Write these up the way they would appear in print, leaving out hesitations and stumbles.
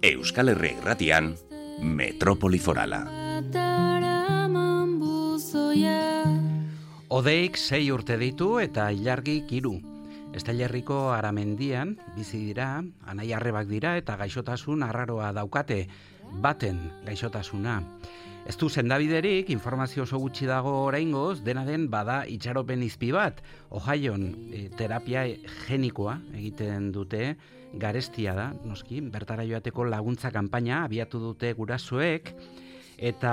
Euskal Herria Irratian, Metropoli Forala. Odeik 6 urte ditu eta ilargik 3. Estailerriko Aramendian bizi dira, anai-arrebak dira eta gaixotasun arraroa daukate, baten gaixotasuna. Ez du sendabiderik, informazio oso gutxi dago oraingoz, dena den bada itxaropen izpi bat. Ohioan terapia genikoa egiten dute, garestia da, noski, bertara joateko laguntza kanpaina abiatu dute gurasoek, eta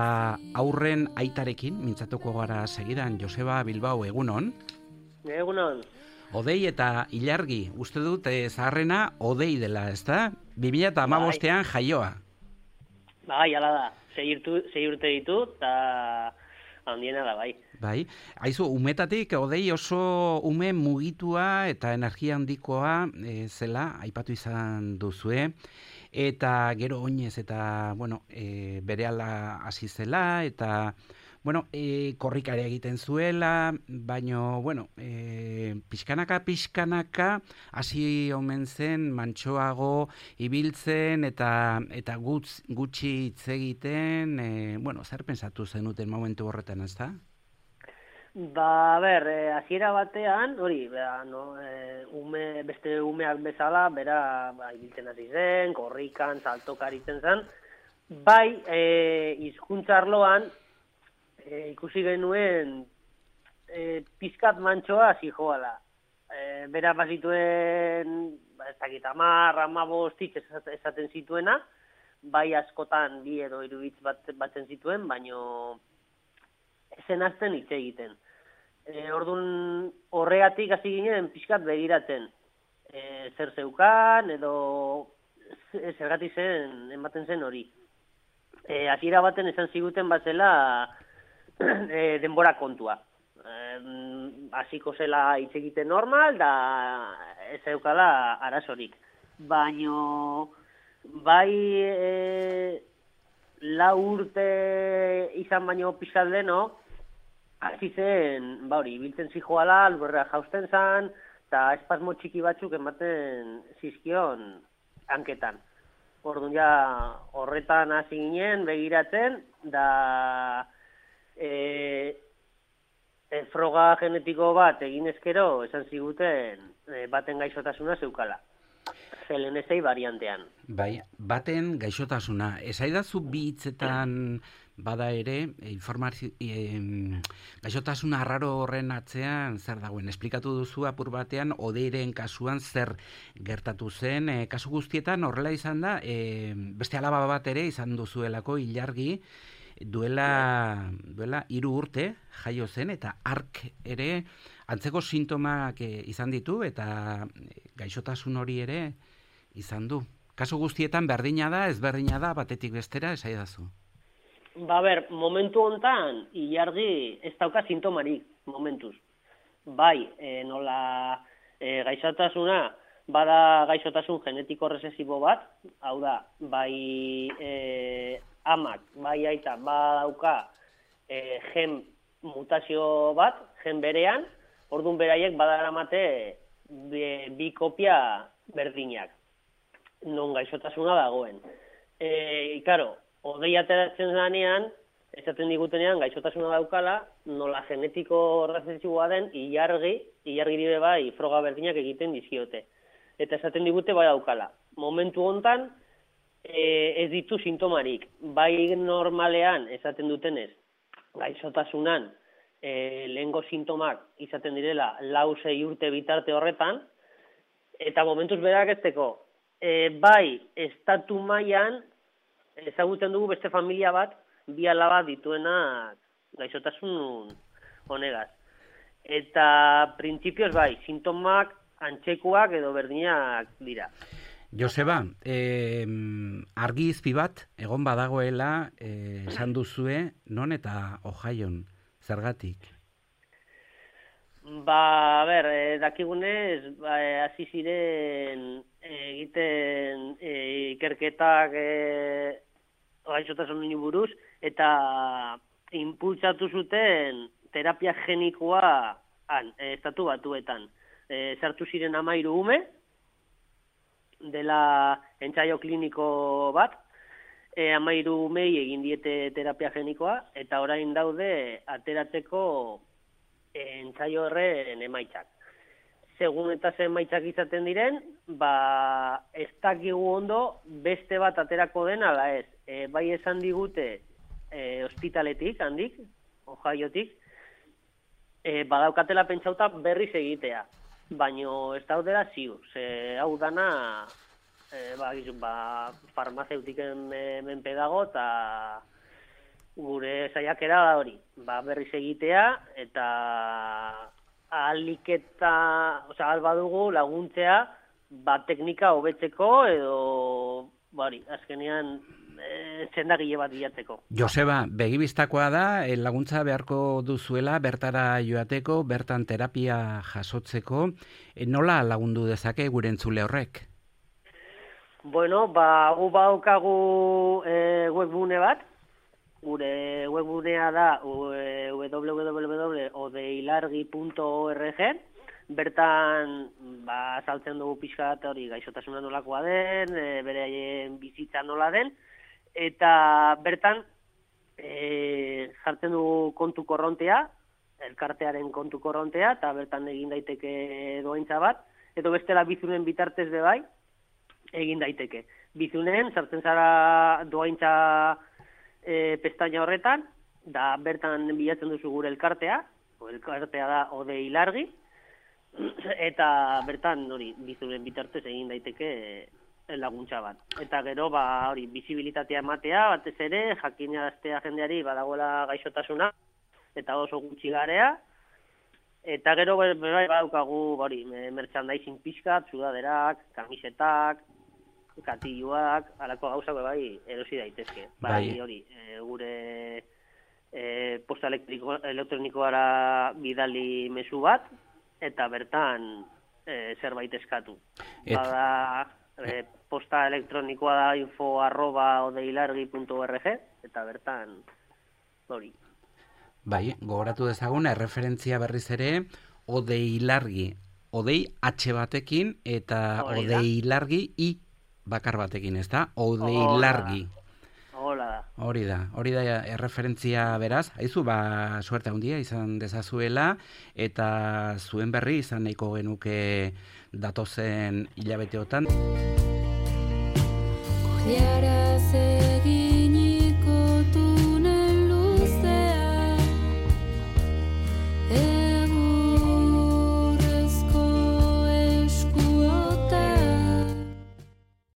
aurren aitarekin, mintzatuko gara segidan, Joseba Bilbao, egunon? Egunon. Odei eta ilargi, uste dut zaharrena Odei dela, ez da? 2015an jaioa. Bai, ala da. 6 urte ditu, eta handiena da, bai. Bai, haizu, umetatik Odei oso ume mugitua eta energia handikoa zela, aipatu izan duzue, eta gero oinez eta, berehala hasi zela, eta, korrikare egiten zuela, baino, pixkanaka, hasi omen zen, mantsoago ibiltzen, eta gutxi hitz egiten, zer pensatu zenuten momentu horretan, ez da? Hasiera batean, hori, beste umeak bezala, bera ibiltzen hasi zen, korrikan, saltokaritzen zen, bai, hizkuntza arloan, ikusi genuen pizkat mantsoa hasi joala. Bera bazituen, ez dakit, 10-15 hitz esaten zituena, bai askotan 2 edo 3 hitz batzen zituen, baino ezen hasten hitz egiten. Orduan horregatik hasi ginen pizkat begiratzen. Zer zeukan edo zergatik ematen zen hori. Hasiera baten esan ziguten batzela denbora kontua. Hasiko zela hitz egiten normal, da ez zeukala arazorik. Baino, bai 4 urte izan baino pixkat deno, hasi zen, ibiltzen zijoala, lurrera jausten zan, eta espasmo txiki batzuk ematen zizkion hanketan. Orduan ja horretan hasi ginen, begiratzen, da froga genetiko bat egin ezkero, esan ziguten baten gaixotasuna zeukala. CLN6 variantean. Bai, baten gaixotasuna. Esaidazu bi hitzetan bada ere, gaixotasuna arraro horren atzean zer dagoen. Esplikatu duzu apur batean, Odeiren kasuan zer gertatu zen. Kasu guztietan horrela izan da, beste alaba bat ere izan duzuelako ilargi, duela 3 urte jaio zen, eta ark ere antzeko sintomak izan ditu, eta gaixotasun hori ere izan du. Kasu guztietan berdina da, ezberdina da, batetik bestera, esaidazu. Momentu hontan ilargi ez dauka sintomarik, momentuz. Bai, nola gaixotasuna, bada gaixotasun genetiko rezesibo bat, hau da, bai amak, bai aita, badauka gen mutazio bat, gen berean, orduan beraiek badaramate 2 kopia berdinak, non gaixotasuna dagoen. Ikaro, Odei ateratzen zanean, esaten digutenean gaixotasuna daukala, nola genetiko rezesiboa den, ilargi dire bai froga berdinak egiten dizkiote. Eta esaten digute bai daukala. Momentu hontan, ez ditu sintomarik. Bai normalean, esaten dutenez, gaixotasunan, lehengo sintomak izaten direla 4-6 urte bitarte horretan, eta momentuz berak ezteko, bai estatu mailan ezagutzen dugu beste familia bat, 2 alaba dituenak gaixotasun honegaz. Eta printzipioz bai, sintomak antzekoak edo berdinak dira. Joseba, argi izpi bat, egon badagoela, esan duzue, non eta Ohioan, zergatik? Dakigunez, hasi ziren egiten ikerketak gaixotasun buruz, eta impulsatu zuten terapia genikoa estatu batuetan. Sartu ziren 13 ume, dela entsaio kliniko bat, 13 umei egin diete terapia genikoa, eta orain daude ateratzeko entsaio horren emaitzak. Segun eta zen emaitzak izaten diren, ez dakigu ondo beste bat aterako den ala ez. Bai esan digute ospitaletik, handik, Ohiotik, badaukatela pentsauta berriz egitea, baino ez daudela ziur. Hau dana farmazeutiken menpe dago, eta gure saiakera da hori, berriz egitea, eta ahal badugu laguntzea, teknika hobetzeko, edo, azkenean, txendagile bat bilatzeko. Joseba, begibistakoa da, laguntza beharko duzuela, bertara joateko, bertan terapia jasotzeko, nola lagundu dezake gure entzule horrek? Bueno, gu badaukagu webgune bat, gure webgunea da www.odeilargi.org, bertan azaltzen dugu pixka bat hori gaixotasuna nolakoa den, beraien bizitza nola den, eta bertan jartzen dugu kontu korrontea, elkartearen kontu korrontea, eta bertan egin daiteke doaintza bat, edo bestela bizunen bitartez bebai, egin daiteke. Bizunen, sartzen zara doaintza pestaina horretan, da bertan bilatzen duzu gure elkartea da Odei Largi, eta bertan hori bizunen bitartez egin daiteke laguntza bat. Eta gero, bizibilitatea ematea, batez ere, jakinaraztea jendeari badagoela gaixotasuna, eta oso gutxi garea, eta gero, badaukagu, merchandising pixkat, sudaderak, kamisetak, katiluak, alako gauzak erosi daitezke. Gure posta elektronikoara bidali mezu bat, eta bertan zerbait eskatu. Posta elektronikoa da info@odeilargi.org, eta bertan hori. Bai, gogoratu dezagun, erreferentzia berriz ere, Odeilargi, Odei H batekin, eta Odeilargi I bakar batekin, ez da? Odeilargi. Hori da erreferentzia beraz, haizu, suerte handia izan dezazuela, eta zuen berri izan nahiko genuke datozen hilabeteotan.